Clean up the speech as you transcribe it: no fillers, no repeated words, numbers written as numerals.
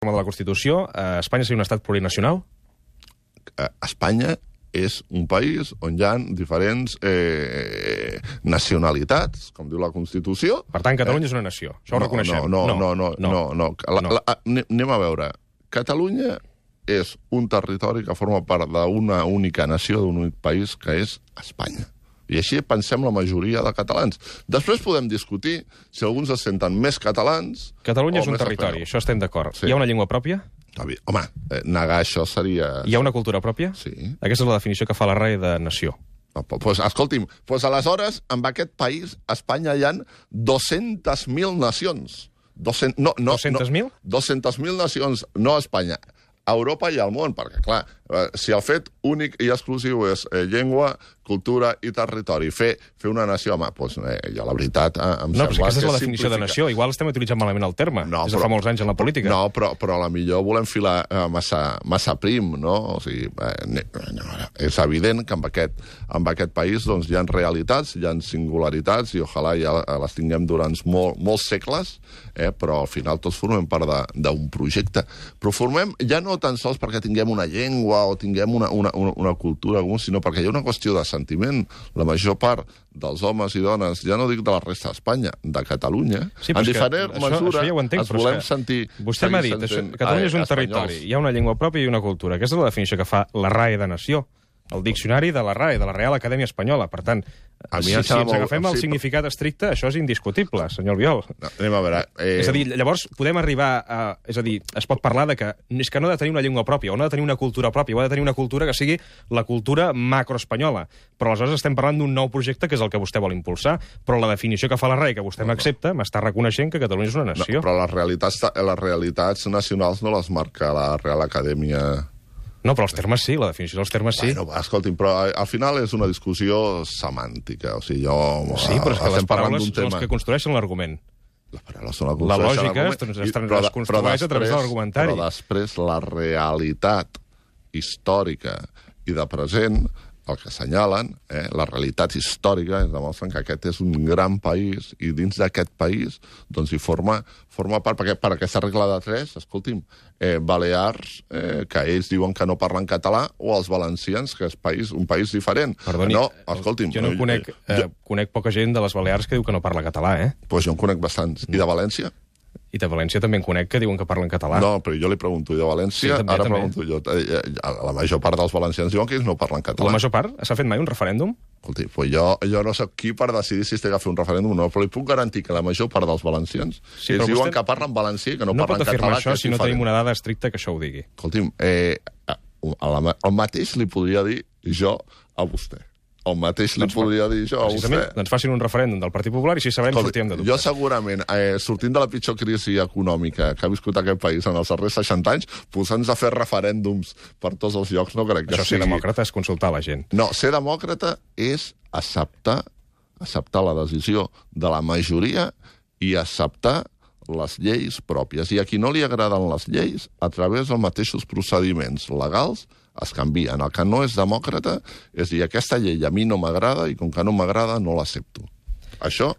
de la Constitució, Espanya seria un estat plurinacional? Espanya és un país on hi ha diferents nacionalitats, com diu la Constitució. Per tant, Catalunya és una nació. Això ho reconeixem. No. Anem a veure. Catalunya és un territori que forma part d'una única nació, d'un únic país, que és Espanya. I així pensem la majoria de catalans. Després podem discutir si alguns es senten més catalans... Catalunya és un territori, això estem d'acord. Sí. Hi ha una llengua pròpia? Home, negar això seria... Hi ha una cultura pròpia? Sí. Aquesta és la definició que fa la RAE de nació. Escolti'm, aleshores, en aquest país, a Espanya, hi ha 200.000 nacions. 200.000? 200.000 nacions, no a Espanya. A Europa i al món, perquè, clar, si el fet únic i exclusiu és llengua, cultura i territori, fer una nació, home, doncs jo la veritat em sembla que aquesta és la definició de nació. Igual estem utilitzant malament el terme, des de fa molts anys en la política. No, però a la millor volem filar massa prim, no? O sigui, és evident que en aquest país doncs, hi ha realitats, hi ha singularitats, i ojalà ja les tinguem durant molts segles, però al final tots formem part d'un projecte. Però formem ja no tan sols perquè tinguem una llengua o tinguem una cultura, sinó perquè hi ha una qüestió de sentiment. La major part dels homes i dones, ja no dic de la resta d'Espanya, de Catalunya, en diferent mesura es volem sentir... Vostè m'ha dit, Catalunya és un territori, hi ha una llengua pròpia i una cultura. Aquesta és la definició que fa la RAE de nació. El diccionari de la RAE, de la Real Acadèmia Espanyola. Per tant, si ens agafem el significat estricte, això és indiscutible, senyor Albiol. Anem a veure... És a dir, llavors podem arribar a... És a dir, es pot parlar de que és que no ha de tenir una llengua pròpia, o no ha de tenir una cultura pròpia, o ha de tenir una cultura que sigui la cultura macroespanyola. Però aleshores estem parlant d'un nou projecte que és el que vostè vol impulsar. Però la definició que fa la RAE, que vostè m'accepta, m'està reconeixent que Catalunya és una nació. Però les realitats nacionals no les marca la Real Acadèmia... No, però els termes sí, la definició dels termes sí. Bueno, escolti'm, però al final és una discussió semàntica. O sigui, sí, però és que les paraules són les que construeixen l'argument. Les paraules són les que construeixen l'argument. La lògica es construeix a través de l'argumentari. Però després la realitat històrica i de present, el que assenyalen, la realitat històrica, es demostren que aquest és un gran país i dins d'aquest país doncs hi forma part, perquè per aquesta regla de 3, escolti'm, Balears, que ells diuen que no parlen català, o els valencians, que és un país diferent. Perdoni, no, escolti'm, jo no conec poca gent de les Balears que diu que no parla català, Doncs jo en conec bastants. I de València? I de València també en conec que diuen que parlen català. No, però jo li pregunto, i de València, sí, pregunto jo. La major part dels valencians diuen que ells no parlen català. La major part? S'ha fet mai un referèndum? Escolti, pues jo no soc qui per decidir si es té que fer un referèndum o no, però li puc garantir que la major part dels valencians ells diuen que parlen valencià i que no parlen català. No pot afirmar això si no tenim una dada estricta que això ho digui. Escolti'm, el mateix li podria dir jo a vostè. El mateix li podria dir jo a vostè. Doncs facin un referèndum del Partit Popular i si sabrem sortirem de dubtes. Jo segurament, sortint de la pitjor crisi econòmica que ha viscut aquest país en els darrers 60 anys, posant-nos a fer referèndums per tots els llocs, no crec que sigui... Això ser demòcrata és consultar la gent. No, ser demòcrata és acceptar la decisió de la majoria i acceptar les lleis pròpies. I a qui no li agraden les lleis, a través dels mateixos procediments legals, es canvien. El que no és demòcrata és dir, aquesta llei a mi no m'agrada i com que no m'agrada no l'accepto. Això